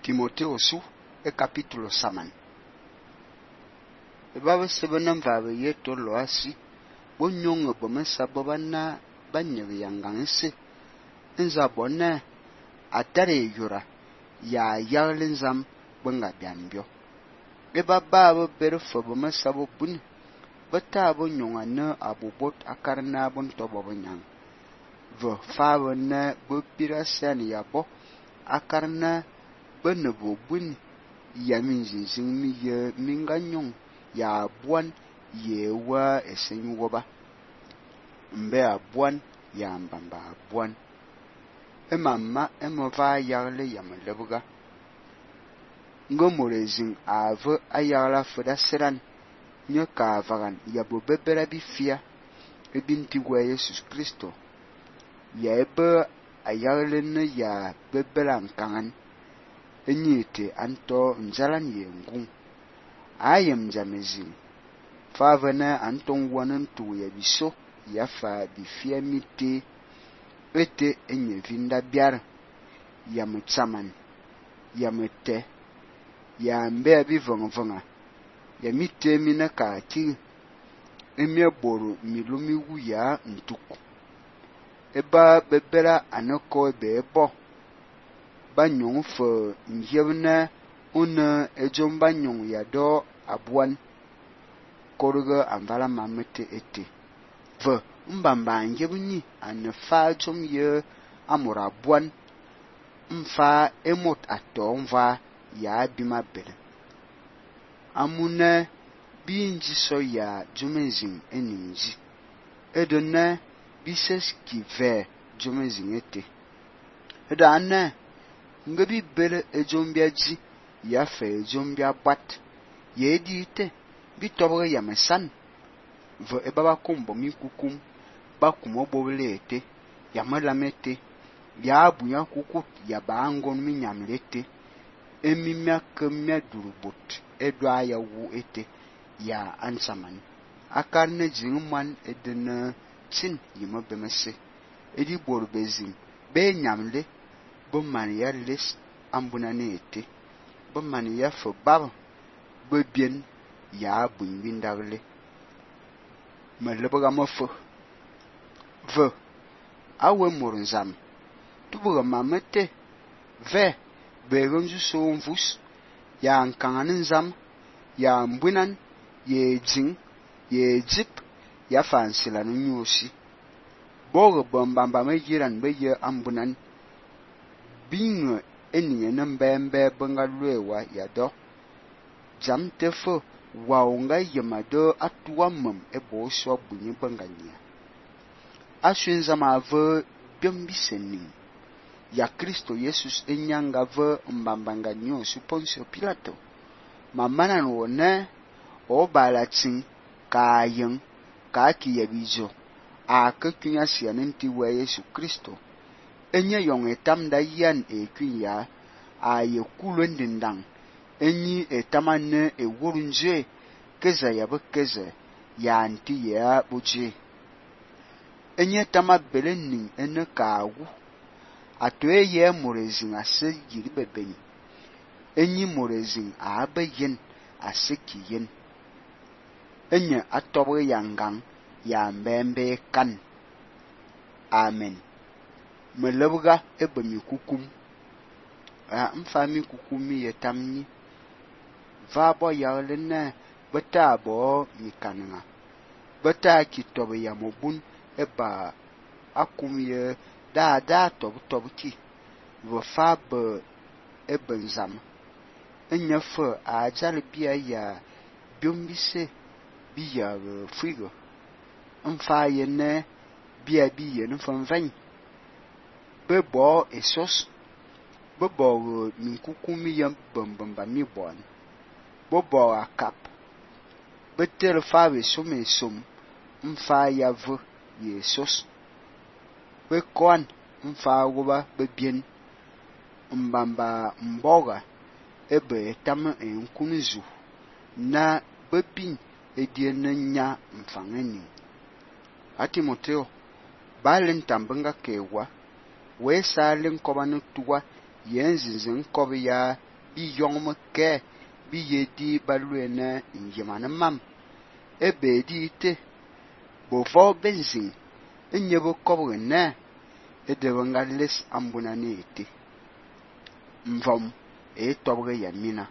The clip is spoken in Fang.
Timoteo su e capítulo saman. Baba sebena mvabe yeto lo asi bonyonga bomesa bobana banyebe yanganse nza bona atare yura ya yarlenzam bunga biambio baba berfo bomesa bobun bata bonyonga na abobot akarna bon tobo bonyang vo fawo na bopirasan yabo akarna benebo bun yamin zinzin mi ye minganyong ya buan ye wa esen woba mbe abuan ya mbamba abuan emama emova yarle yamlebuga ngomorezin ave ayarla foda seran nyoka vagan yabo bebera bifia ebinti wa Jesus Kristo ya ebe ayarle ne ya bebera nkangan enyite anto njalan ye ngung ayem jamezin favana anton wanan tu ya biso ya fa bifia mite ete enye vinda biar ya mutsaman ya mete ya mbe bi vonga ya mite mina ka ti emie boru milumi wu ya ntuku eba bebera anoko ebo banyong fo njebna una ejom banyong ya do abuan korga amvala mamete ete vo mbamba njebni anfa jom ye amura abuan mfa emot ato mva ya bimabele amuna binji so ya jomezin eninji edona bises kive jomezin ete edana ngabi bele ejombia ji ya fe ejombia bat ye dite bitobre ya mesan vo ebaba kombo mi kukum ba kumo bobele ete ya malamete ya abunya kukut ya bangon mi nyamlete emimya kemya durubot edwa ya wu ete ya ansaman akarne jingman edena chin yimo bemese edi borbezin be nyamle bo man ya les ambuna ne ete bo man ya fo bab bo bien ya buin windagle maleboga mofo vo awe mornzam tubuga mamete ve begonju so mvus ya nkanganin zam ya mbunan ye jing ye jip ya fansila no nyosi bogo bombamba mejiran beye ambunan bingo eniye nambembe bangalwewa ya do jamtefo waunga yemado atuamam ebo so bunyi banganya ashinza mave biombiseni ya Kristo Jesus enyanga ve mbambanga nyo Poncio Pilato mamana wona obalatin kayen ka kiyebijo akakunya sianenti wa Yesu Kristo enye yong etamda yan ekunya aye kulwendindang enyi etamane ewurunje keza ya bekeze ya anti ya boje enye tama belenin ene kawu atoe ye morezin ase yiri bebeni enyi morezin abeyen ase kiyen enye atobe yangang ya mbembe kan amen melebuga ebemi kukum mfami kukumi yetamni vabo yarlena bata bo mikananga bata kitobe ya mobun eba akumye da tobuki vo fab ebenzam enyefe ajal bia ya biombise bia frigo mfa yene bia bia nfamvan bebo esos bebo minkukumi yam bambamba mi bon bobo akap betel fawe somesom mfa yavu yesus bekon mfa woba bebien mbamba mboga ebe tam enkunizu na bebin ediennya mfangeni Timoteo balen tambenga kewa we salen kobanu tuwa yenzinzin kobi ya bi yong me kɛ bi ye di ba luene nyemane mam ebe di te bo vo benzin nye bo kobge ne edebe nga les ambuna ne ete mvom tobge ya mina